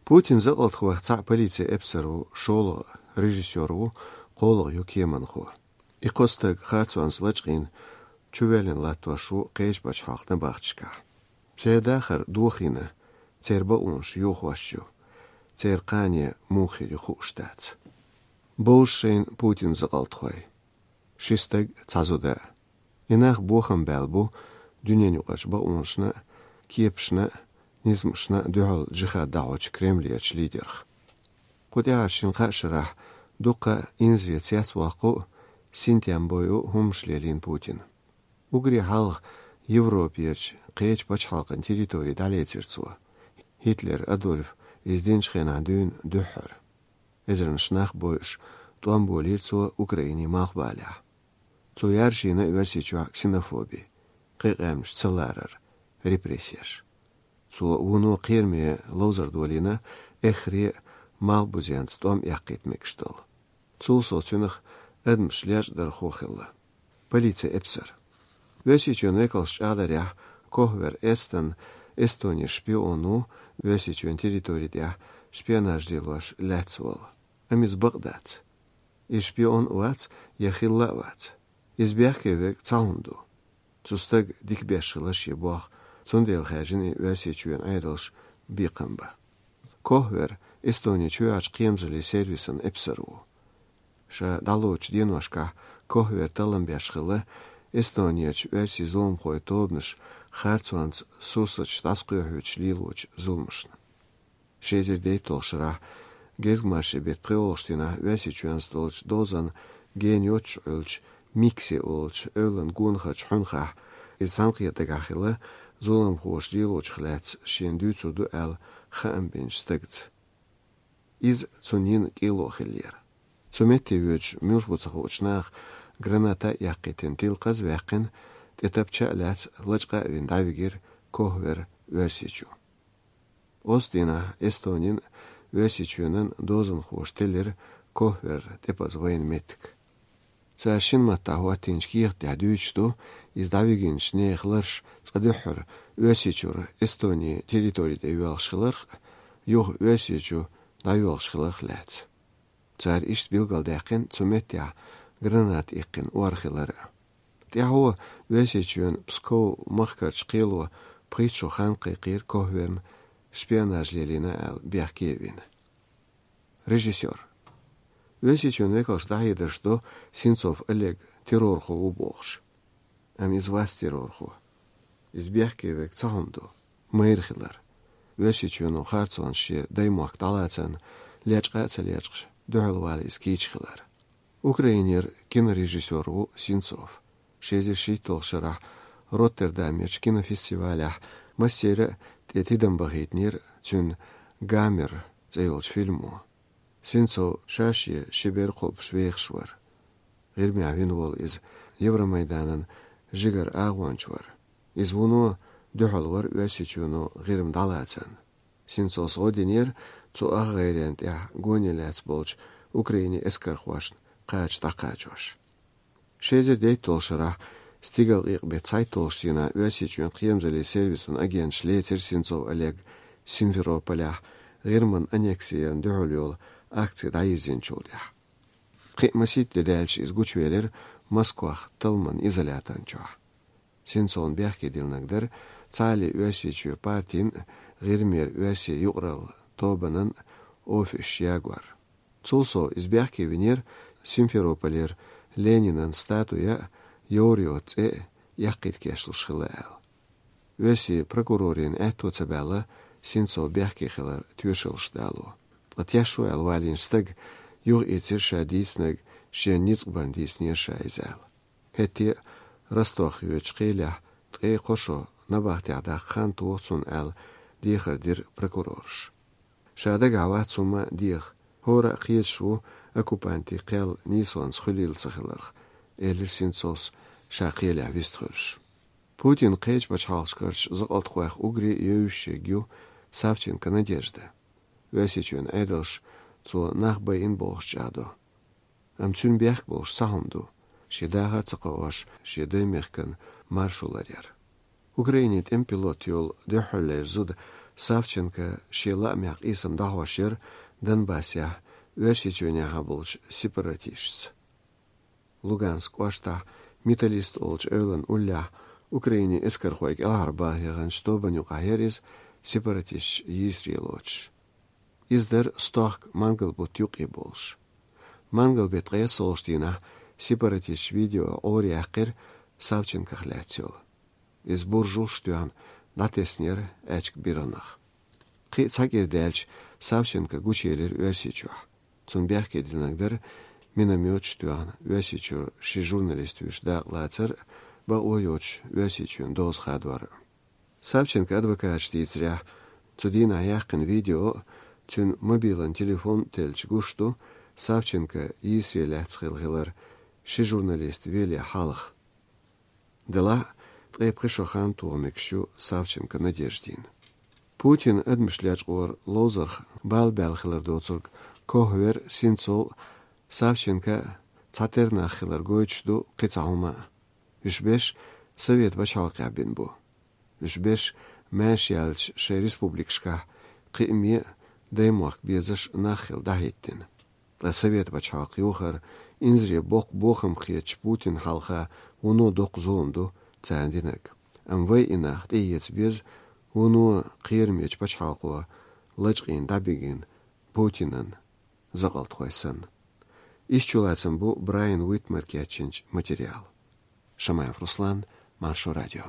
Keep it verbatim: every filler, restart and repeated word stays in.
Путин закъалтхойх цхьаъ полицей эпсар ву, шолгӀа режиссёр ву, кхоалгӀа юкъаманхо. И кхо стаг харцонца лачкъийна чувеллина латтош ву кхечу пачхьалкхан набахташкахь. Церан дахар дохийна, церан бакъонаш йохош ю, церан кхане муха хир ю хууш дац. Бовзаш шайна Путин закъалтхой. Ши стаг, цхьа зуда. И нах бохам баьлла бу дуьненаюкъарчу бакъонашна, кепашна, низамашна дуьхьал джихад дӀахьочу Кремлерчу лидерх. Кху тӀаьхьарчу шина-кхаа шарахь дуккха а инзаре цецвоккху а, синтем бойу а хӀуманаш лелийна Путина. Уггаре хьалха Европерчу кхечу пачхьалкхан территори дӀалецира цо, Гитлер Адольф иза динчу хенахь дуьйна дуьххьара. Эзарнаш нах бойуш, тӀом болийра цо Украинин малхбалехь. Цо яржийна Оьрсийчохь ксенофоби, кхин къаьмнаш ца ларар, репрессеш. Цо вуно кхераме ловзар долийна, эххар а малхбузенца тӀом эккхийта мегаш долу. Цул сов цуьнах адамаш лечкъадархо хилла. Полицей эпсар. Оьрсийчоьнан векалш чӀагӀдарехь, Кохвер Эстон Эстонера шпион ву, Оьрсийчоьнан территори тӀехь шпионаж лелош лаьцна волу. Амма иза бакъ дац. Иза шпион а вац, я хилла а вац. Иза бехке верг цхьа хӀума ду. Цу стага дика беш хилла шен болх, цундела хаьржина и Оьрсийчоьнан Ӏедалша бекхам бан. Кохвер Эстонин чоьхьарчу кхерамзаллин сервисан эпсар ву. Ша дӀалоцучу деношкахь Кохвер таллам беш хилла Эстонерчу оьрсийн зуламхойн тобанаш харцонца сурсаташ дӀасакхоьхьуьйтуш лелочу зуламашна. Ши эзар дейтталгӀачу шарахь гезгмашин беттан пхоьалгӀачу дийнахь Оьрсийчоьнца долчу дозанна гена йоццуш Ӏуьллучу Микси олучу эвлан гонахарчу хьуьнхахь, иза цхьаьнакхетаргахь хилла зуламхоша лелочух лаьцна шена дуьйцур ду аьлла хаам бинчу стагца. Иза цунна йина кӀело хиллера. Цу метте воьдуш муьлш бу ца хуучу наха граната а эккхийтина, тилкхаз а ваьккхина, тӀе тапча а лаьцна, лачкъа а вина дӀавигира Кохвер Оьрсийчу. Оцу дийнахь Эстонин а, Оьрсийчоьнан а дозанхоша теллира Кохвер тӀепаза вайна меттиг. Цара шина маттахь хӀоттийначу кехат тӀехь дуьйцуш ду, иза дӀавигинчу нехан ларш цкъа дуьххьара Оьрсийчуьра Эстонин территори тӀе йоьлхуш хиларх а, юха Оьрсийчу дӀайоьлхуш хиларх а лаьцна. Цара иштта билгалдаьккхина цу меттехь граната иккхина ор хилар а. ТӀаьхьо Оьрсийчоьнан Псков махкарчу кхело пхийтта шо хан кхайкхийра Кохверна шпионаж лелийна аьлла бехке а вина. Режиссёр. Оьрсийчоьнан векалша дӀахьедарш до Сенцов Олег террорхо ву бохуш. Амма иза вац террорхо. Иза бехке верг цхьа хӀума ду. Майра хилар. Оьрсийчоьно харцонца шен даймохк дӀалацарна лечкъа а ца лечкъаш, дуьхьал вала иза кийча хилар. Украинера кинорежиссёр ву Сенцов. Ши эзар шийтталгӀачу шарахь Роттердамерчу кинофестивалехь массеран а тӀе тидам бахийтинера цуьнан «Гамер» цӀе йолчу фильмо. Сенцов ша-шен ши бер кхобуш вехаш вара. ГӀирмехь вина волу иза Евромайданан жигара агӀонча вара. Иза вуно дуьхьал вара Оьрсийчоьно ГӀирма дӀалацарна. Сенцовс гӀо динера цу ах гӀайренна тӀехь гоне лаьцна болчу Украинин эскархошна кхача дӀакхачош. Ши эзар дейтталгӀачу шарахь стигалкъекъа беттан цхьайтталгӀачу дийнахь Оьрсийчоьнан кхерамзаллин сервисан агенташа лецира Сенцов Олег Симферополехь ГӀирман аннекси ярна дуьхьал йолу акци дӀайирзинчул тӀаьхьа. Кхин а масийтта де даьлча иза гучувелира Москвахь талламан изоляторна чохь. Сенцовна бехке диллинарг дара цхьааллин Оьрсийчоь партин а, ГӀирмера оьрсийн юкъаралла тобанан а офисаш ягор. Цул сов иза бехке винера Симферополера Ленинан статуя а, Йовриот цӀе а эккхийта кечлуш хилла аьлла. Оьрсийн прокурорийн аьтто ца баьлла Сенцов бехке хилар тоьшаллаш дало. Ткъа тешо аьлла валийна стаг юхаийцира ша дийцинарг шен ницкъ барна дийцинера ша иза аьлла. ХӀетте а Ростовхь йоьдучу кхелехь ткъе кхо шо набахтехь даккха хан тоху цунна аьлла, дехар дира прокурораша. Ша дагахь вац хӀумма а деха, хӀора а кхеташ ву оккупантийн кхел нийсонца хуьлийла ца хиларх, элира Сенцовс ша кхелехь вистхуьлуш. Путинан кхечу пачхьалкхашкарчу закъалтхойх уггаре а евзаш ерг ю Савченко Надежда. Оьрсийчоьнан Ӏедалша цо нах байина бохуш чӀагӀдо. Амма цуьнан бехк болуш цхьа хӀума ду, шен дахар а ца кхоош, шен даймехкан маршо ларъяр. Украинин тӀеман пилот йолу дуьххьарлера зуда Савченко шен лаамехь къийсам дӀахьош яра Донбассехь Оьрсийчоьнехьа болчу сепаратисташца. Луганск кӀоштахь Металлист олучу эвлан уллехь Украинин эскархой кӀелхьарбаха яханчу тобанна юкъахь яра иза, сепаратисташ йийсаре лоцуш. Иза дара стохка мангал бутт юккъе болуш. Мангал беттан ткъесналгӀачу дийнахь сепаратисташа видео Ӏора яьккхира Савченкох лаьцна йолу. Иза буржалш тоьхна дӀатеснера аьчка биргӀанах. Кхин а цхьа кӀира даьлча Савченко гучуелира Оьрсийчохь. Цунна бехке динарг дара миномёташ тоьхна Оьрсийчуьра ши журналист вуьйш дакъалацар а, бакъо йоцуш Оьрсийчоьнан доза хадор а. Савченко адвокаташа дийцарехь, цу дийнахь яьккхина видео а, цуьнан мобилан телефон а теллича гуш ду, Савченко йийсаре лаьцна хилла хилар ши журналист веле хьалха. Делахь а, ткъе пхи шо хан тоха мегаш ю Савченко Надеждина. Путинан адамаш лечкъоран ловзарх бала баьлла хилар доцург Кохвер, Сенцов, Савченко цхьатерра нах хилар гойтуш ду кхин цхьа хӀума а. Уьш берш Совет пачхьалкхехь бина бу. Уьш берш маьрша яьлча шайн республикашкахь кхиаме а, даймохк безаш нах хилла дӀахӀиттина. Ткъа Совет пачхьалкх йохар инзаре боккха бохам хетачу Путинна хьалха вуно доккха зулам ду царна динарг. Амма вай и нах тӀеэца беза вуно кхерамечу пачхьалкхо лачкъийна дӀабигина Путинан закъалтхой санна. Иштта чулацам бу Брайан Уитмар кечйинчу материалан. Шамаев Руслан, Маршо радио.